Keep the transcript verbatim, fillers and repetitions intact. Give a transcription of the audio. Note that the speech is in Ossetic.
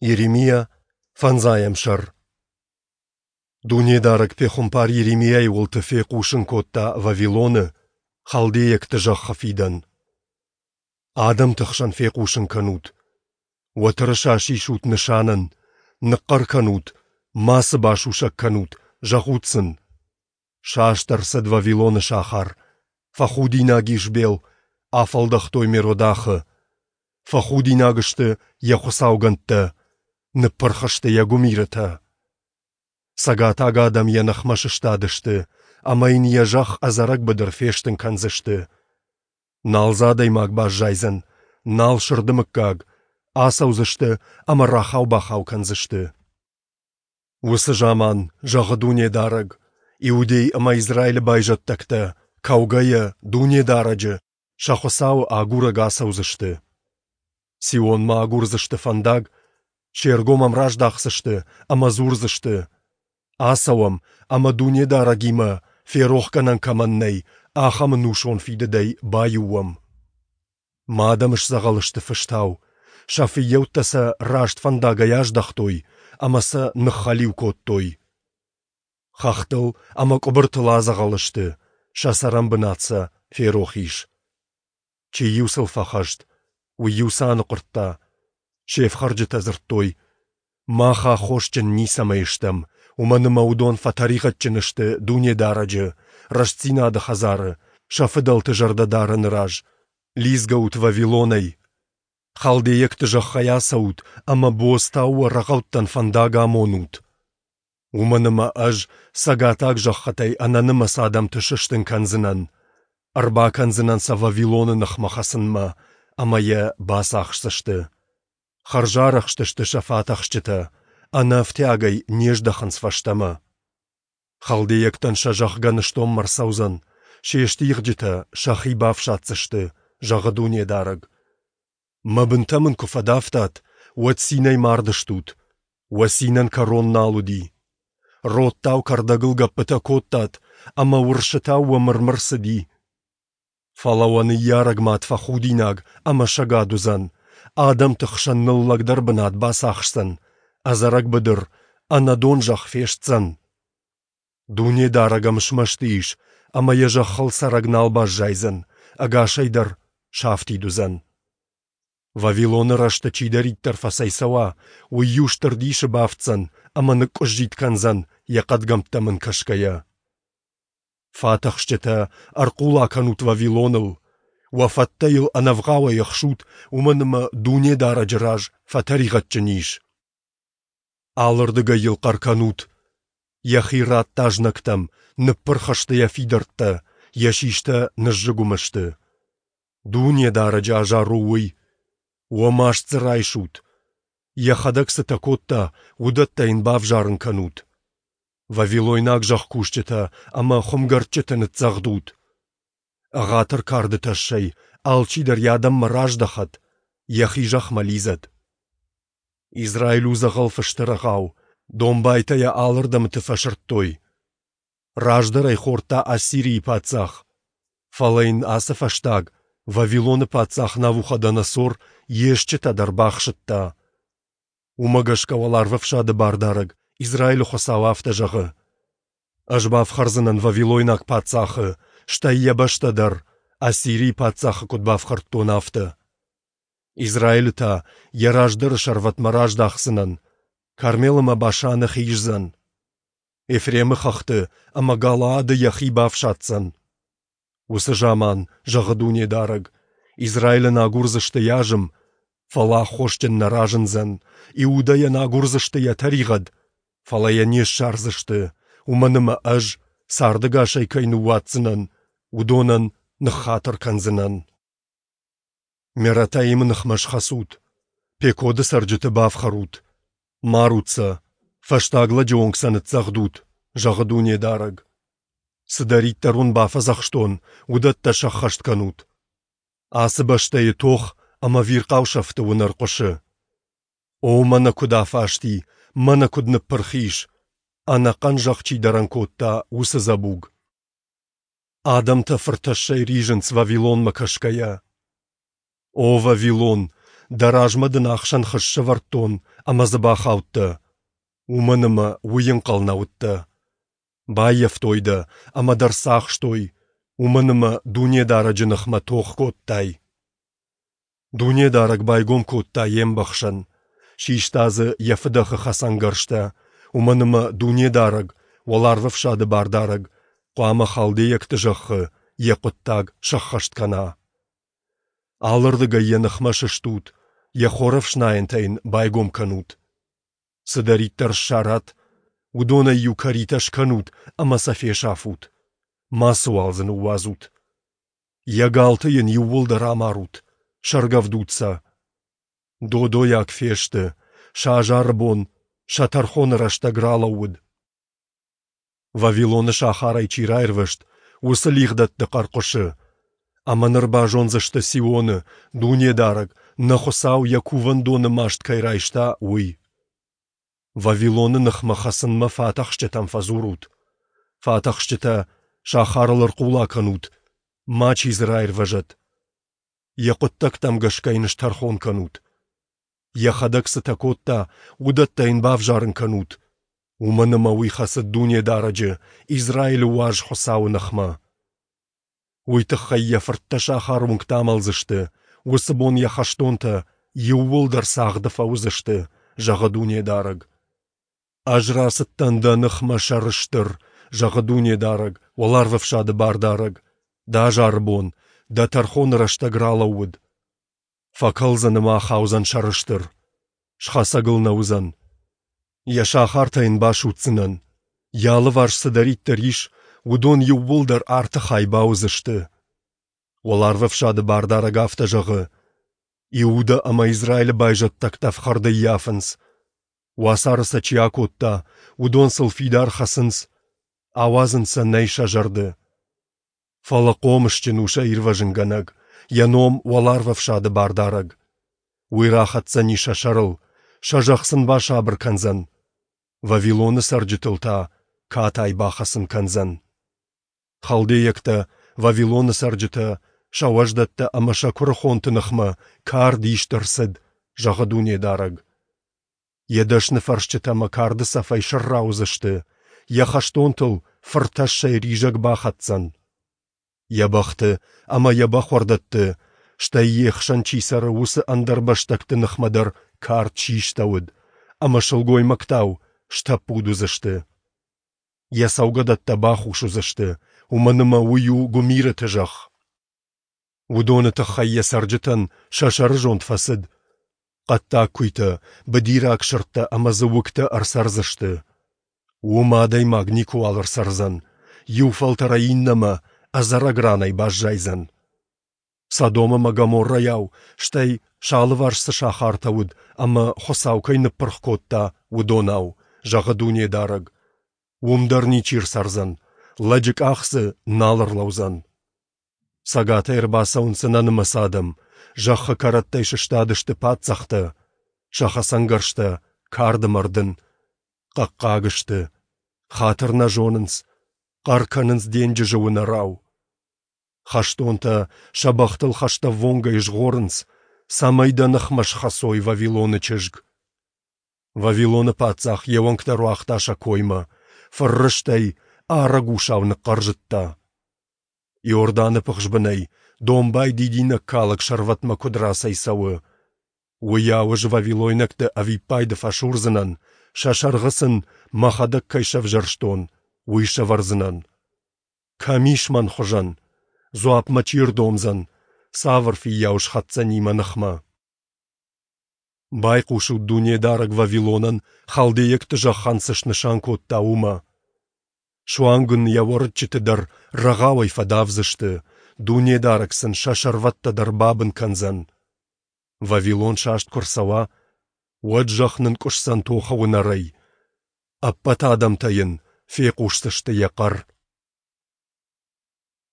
Йеремиа, фӕндзайӕм сӕр. Дунедарӕг пехуымпар Йеремиайы уылты фехъусын кодта Вавилоны, халдейӕгты зӕххы фидӕн. Адӕмты хсӕн фехъусын кӕнут: уӕ тырыса сисут нысанӕн, ныхъхъӕр кӕнут, мацы басусӕг кӕнут, зӕгъут сын: Саст ӕрцыд Вавилоны сахар, фӕхудинаг ис Бел, афӕлдӕхтой Меродахы. Фӕхудинаг сты йӕ хуыцаугӕндтӕ, ныппырх сты йӕ гуымирытӕ. Цӕгатаг адӕм йӕ ныхмӕ сыстадысты ӕмӕ йын йӕ зӕхх ӕдзӕрӕг быдыр фестын кӕндзысты. Нал дзы адӕймаг баззайдзӕн, нал сырды мыггаг, ацӕудзысты ӕмӕ рахау-бахау кӕндзысты. Уыцы заман, зӕгъы Дунедарӕг, Иудей ӕмӕ Израилы байзӕддӕгтӕ, кӕугӕйӕ, Дунедарӕджы, сӕ Хуыцауы, агурӕг ацӕудзысты. Сионмӕ агурдзысты фӕндаг, се ргом ӕм раздахдзысты ӕмӕ дзурдзысты: Ацӕуӕм ӕмӕ Дунедарӕгимӕ, ферохгӕнӕн кӕмӕн нӕй, ахӕм ӕнусон фидыдӕй баиу уӕм. Мӕ адӕм сдзӕгъӕл сты фыстау, сӕ фыййӕуттӕ сӕ раст фӕндагӕй аздӕхтой ӕмӕ сӕ ныххӕлиу кодтой. Хӕхтыл ӕмӕ къуыбыртыл адзӕгъӕл сты, сӕ цӕрӕнбынат сӕ ферох ис. Чи-иу сыл фӕхӕст, уый-иу сӕ аныхъуырдта. Се фхӕрджытӕ дзырдтой: Мах аххосджын ницӕмӕй стӕм, уымӕн ӕмӕ уыдон фӕтӕригъӕдджын сты Дунедарӕджы, рӕстдзинады хӕдзары, сӕ фыдӕлты зӕрдӕдарӕны раз. Лидзгӕут Вавилонӕй! Халдейӕгты зӕххӕй ацӕут ӕмӕ бодзтау уӕ рӕгъӕуттӕн фӕндаг амонут. Уымӕн ӕмӕ Ӕз цӕгатаг зӕххытӕй ӕнӕнымӕц адӕмты сыстын кӕндзынӕн, ӕрбакӕндзынӕн сӕ Вавилоны ныхмӕ хӕцынмӕ, ӕмӕ йӕ бацахсдзысты. Хӕрзарӕхст сты сӕ фатӕхсджытӕ, ӕнӕ ӕфтиагӕй не здӕхынц фӕстӕмӕ. Халдейӕгтӕн сӕ зӕхх гӕныстонмӕ рцӕудзӕн, се стигъджытӕ сӕхи бафсаддзысты, зӕгъы Дунедарӕг. Мӕ бынтӕ мын куы фӕдавтат, уӕд цинӕй мардыстут, уӕ цинӕн кӕрон нал уыди. Родтау кӕрдӕгыл гӕппытӕ кодтат, ӕмӕ уырсытау уӕ мыр-мыр цыди. Фӕлӕ уӕ ныййарӕг мад фӕхудинаг ӕмӕ сӕгад уыдзӕн, адӕмты хсӕн ныллӕгдӕр бынат бацахсдзӕн, ӕдзӕрӕг быдыр, ӕнӕдон зӕхх фестдзӕн. Дунедарӕг ӕм смӕсты ис, ӕмӕ йӕ зӕххыл цӕрӕг нал баззайдзӕн, ӕгасӕй дӕр сафтид уыдзӕн. Вавилоны рӕзты чидӕриддӕр фӕцӕйцӕуа, уый-иу стыр дисы бафтдзӕн ӕмӕ ныкъкъуыззитт кӕндзӕн, йӕ хъӕдгӕмттӕм ын кӕсгӕйӕ. Фатӕхсджытӕ, ӕрхъула кӕнут Вавилоныл! Уӕ фӕттӕ йыл ӕнӕвгъауӕй ӕхсут, уымӕн ӕмӕ Дунедарӕджы раз фӕтӕригъӕдджын ис. Алырдыгӕй йыл хъӕр кӕнут! Йӕхи радта знӕгтӕм, ныппырх сты йӕ фидӕрттӕ, йӕ систӕ ныззыгуым сты. Дунедарӕджы азар у уый! Уӕ маст дзы райсут! Йӕхӕдӕг цытӕ кодта, уыдӕттӕ йын бавзарын кӕнут. Вавилойнаг зӕхкусджытӕ ӕмӕ хуымгӕрдджыты ныццӕгъдут. Ӕгъатыр карды тӕссӕй алчидӕр йӕ адӕммӕ раздӕхӕд, йӕхи зӕхмӕ лидзӕд. Израиль у дзӕгъӕл фысты рӕгъау, домбайтӕ йӕ алырдӕмты фӕсырдтой. Раздӕр ӕй хордта Ассирийы паддзах, фӕлӕ йын ацы фӕстаг, Вавилоны паддзах Навуходоносор, йе стджытӕ дӕр бахсыдта. Уымӕ гӕсгӕ Уӕларвӕфсады Бардарӕг, Израилы Хуыцау афтӕ зӕгъы: Ӕз бафхӕрдзынӕн вавилойнаг паддзахы, стӕй йӕ бӕстӕ дӕр, Ассирийы паддзахы куыд бафхӕрдтон, афтӕ. Израилы та йӕ раздӕры сӕрвӕтмӕ раздахдзынӕн, Кармел ӕмӕ Башаны хиздзӕн. Ефремы хӕхты ӕмӕ Галаады йӕхи бафсаддзӕн. Уыцы заман, зӕгъы Дунедарӕг, Израилӕн агурдзысты йӕ азым, фӕлӕ аххосджын нӕ разындзӕн, Иудӕйӕн агурдзысты йӕ тӕригъӕд, фӕлӕ йӕ не ссардзысты, уымӕн ӕмӕ Ӕз, цардӕгасӕй кӕй ныууадздзынӕн, уыдонӕн ныххатыр кӕндзынӕн. Мератаимы ныхмӕ схӕцут, Пекоды цӕрджыты бафхӕрут, марут сӕ, фӕстаг лӕджы онг сӕ ныццӕгъдут, зӕгъы Дунедарӕг. Цыдӕриддӕр уын бафӕдзӕхстон, уыдӕттӕ сӕххӕст кӕнут. Ацы бӕстӕйы тох ӕмӕ ӕвирхъау сӕфты уынӕр хъуысы. О, мӕнӕ куыд афасти, мӕнӕ куыд ныппырх ис, ӕнӕхъӕн зӕхх чи дӕрӕн кодта, уыцы дзӕбуг! Адӕмтӕ фыртӕссӕй ризынц Вавилонмӕ кӕсгӕйӕ. О Вавилон, Дӕ размӕ дын ахсӕн хыз сӕвӕрдтон, ӕмӕ дзы бахаудтӕ, уымӕн ӕмӕ уый ӕнхъӕл нӕ уыдтӕ. Баййӕфтой дӕ ӕмӕ дӕ рцахстой, уымӕн ӕмӕ Дунедарӕджы ныхмӕ тох кодтай. Дунедарӕг байгом кодта йе мбӕхсӕн, систа дзы йӕ фыдӕхы хӕцӕнгӕрзтӕ, уымӕн ӕмӕ Дунедарӕг, Уӕларвӕфсады Бардарӕг, хъуамӕ халдейӕгты зӕххы йӕ хъуыддаг сӕххӕст кӕна. Алырдыгӕй йӕ ныхмӕ сыстут, йӕ хорӕфснайӕнтӕ йын байгом кӕнут. Цыдӕриддӕр ссарат, уыдонӕй-иу кӕритӕ скӕнут ӕмӕ сӕ фесафут, мацыуал дзы ныууадзут. Йӕ галты йын иууылдӕр амарут, сӕргӕвдут сӕ. Додойаг фесты, сӕ азары бон, сӕ тӕрхоны рӕстӕг ралӕууыд. Вавилоны сахарӕй чи раирвӕзт, уыцы лигъдӕтты хъӕр хъуысы. Ӕмӕ ныр базондзысты Сионы, Дунедарӕг, нӕ Хуыцау йӕ кувӕндоны маст кӕй райста, уый. Вавилоны ныхмӕ хӕцынмӕ фатӕхсджытӕм фӕдзурут. Фатӕхсджытӕ, сахарыл ӕрхъула кӕнут, мачи дзы раирвӕзӕд. Йӕ хъуыддӕгтӕм гӕсгӕ йын стӕрхон кӕнут. Йӕхӕдӕг цытӕ кодта, уыдӕттӕ йын бавзарын кӕнут, уымӕн ӕмӕ уый хӕцыд Дунедарӕджы, Израилы Уаз Хуыцауы ныхмӕ. Уый тыххӕй йӕ фырттӕ сахары уынгты амӕлдзысты, уыцы бон йӕ хӕстонтӕ иууылдӕр цагъды фӕуыдзысты, зӕгъы Дунедарӕг. Ӕз рацыдтӕн дӕ ныхмӕ сӕрыстыр, зӕгъы Дунедарӕг, Уӕларвӕфсады Бардарӕг, дӕ азары бон, дӕ тӕрхоны рӕстӕг ралӕууыд. Фӕкӕлдзӕн ӕмӕ ахаудзӕн сӕрыстыр, схӕцӕг ыл нӕ уыдзӕн. Йӕ сахартӕ йын басудздзынӕн, йӕ алыварс цыдӕриддӕр ис, уыдон иууылдӕр арты хай бауыдзысты. Уӕларвӕфсады Бардарӕг афтӕ зӕгъы: Иудӕ ӕмӕ Израилы байзӕддӕгтӕ ӕфхӕрд ӕййафынц. Уацары сӕ чи акодта, уыдон сыл фидар хӕцынц, ауадзын сӕ нӕй сӕ зӕрды. Фӕлӕ хъомысджын у сӕ ирвӕзынгӕнӕг, йӕ ном Уӕларвӕфсады Бардарӕг. Уый рахӕцдзӕни сӕ сӕрыл, сӕ зӕхх сын басабыр кӕндзӕн, Вавилоны цӕрджытыл та катай бахӕцын кӕндзӕн. Халдейӕгтӕ, Вавилоны цӕрджытӕ, сӕ уӕздӕттӕ ӕмӕ сӕ куырыхонты ныхмӕ кард ист ӕрцыд, зӕгъы Дунедарӕг. Йӕ дӕсныфӕрсджытӕ ӕмӕ карды цӕфӕй сӕрра уыдзысты, йӕ хӕстонтыл фыртӕссӕй ризӕг бахӕцдзӕн. Йӕ бӕхты ӕмӕ йӕ бӕхуӕрдӕтты, стӕй йе хсӕн чи цӕры, уыцы ӕндӕрбӕстӕгты ныхмӕ дӕр кард систӕуыд, ӕмӕ сылгоймӕгтау стӕппуд уыдзысты. Йӕ цӕугӕдӕттӕ бахус уыдзысты, уымӕн ӕмӕ уый у гуымирыты зӕхх. Уыдоны тыххӕй йӕ цӕрджытӕн сӕ сӕрызонд фӕцыд. Хъӕддаг куыйтӕ, быдираг сырдтӕ ӕмӕ дзы уыгтӕ ӕрцӕрдзысты. Уым адӕймаг никуыуал ӕрцӕрдзӕн, иу фӕлтӕрӕй иннӕмӕ ӕдзӕрӕг ранӕй баззайдзӕн. Содом ӕмӕ Гоморрӕйау, стӕй сӕ алыварс цы сахартӕ уыд ӕмӕ Хуыцау кӕй ныппырх кодта, уыдонау, зӕгъы Дунедарӕг. Уым дӕр ничи ӕрцӕрдзӕн, лӕджы къах дзы нал ӕрлӕудзӕн. Цӕгатӕй ӕрбацӕуынц ӕнӕнымӕц адӕм, зӕххы кӕрӕттӕй сыстадысты паддзӕхтӕ, сӕ хӕцӕнгӕрзтӕ карды мӕрдын. Хъӕхъхъаг сты, хатыр нӕ зонынц, хъӕр кӕнынц денджызы уынӕрау. Хӕстонтӕ сӕ бӕхтыл хӕстӕввонгӕй згъорынц, цӕмӕй дӕ ныхмӕ схӕцой, Вавилоны чызг. Вавилоны паддзах йе уӕнгтӕ руагъта сӕ коймӕ, фыррыстӕй арӕг усау ныхъхъӕрзыдта. Иорданы пыхсбынӕй домбай дидинӕгкалӕг сӕрвӕтмӕ куыд рацӕйцӕуы, уыйау ӕз вавилойнӕгты ӕвиппайды фӕсурдзынӕн, сӕ сӕргъы сын, мӕхӕдӕг кӕй сӕвзӕрстон, уый сӕвӕрдзынӕн. Кӕм ис мӕн хуызӕн? Дзуапп мӕ чи ӕрдомдзӕн? Цавӕр фыййау схӕцдзӕни мӕ ныхмӕ? Байхъусут Дунедарӕг Вавилонӕн халдейӕгты зӕххӕн цы снысан кодта, уымӕ. Суанг ын йӕ уӕрыччыты дӕр рӕгъауӕй фӕдавдзысты, Дунедарӕг сын сӕ сӕрвӕттӕ дӕр бабын кӕндзӕн. Вавилон саст куы рцӕуа, уӕд зӕхх нынкъуысдзӕн тохы уынӕрӕй. Ӕппӕт адӕмтӕ йын фехъусдзысты йӕ хъӕр.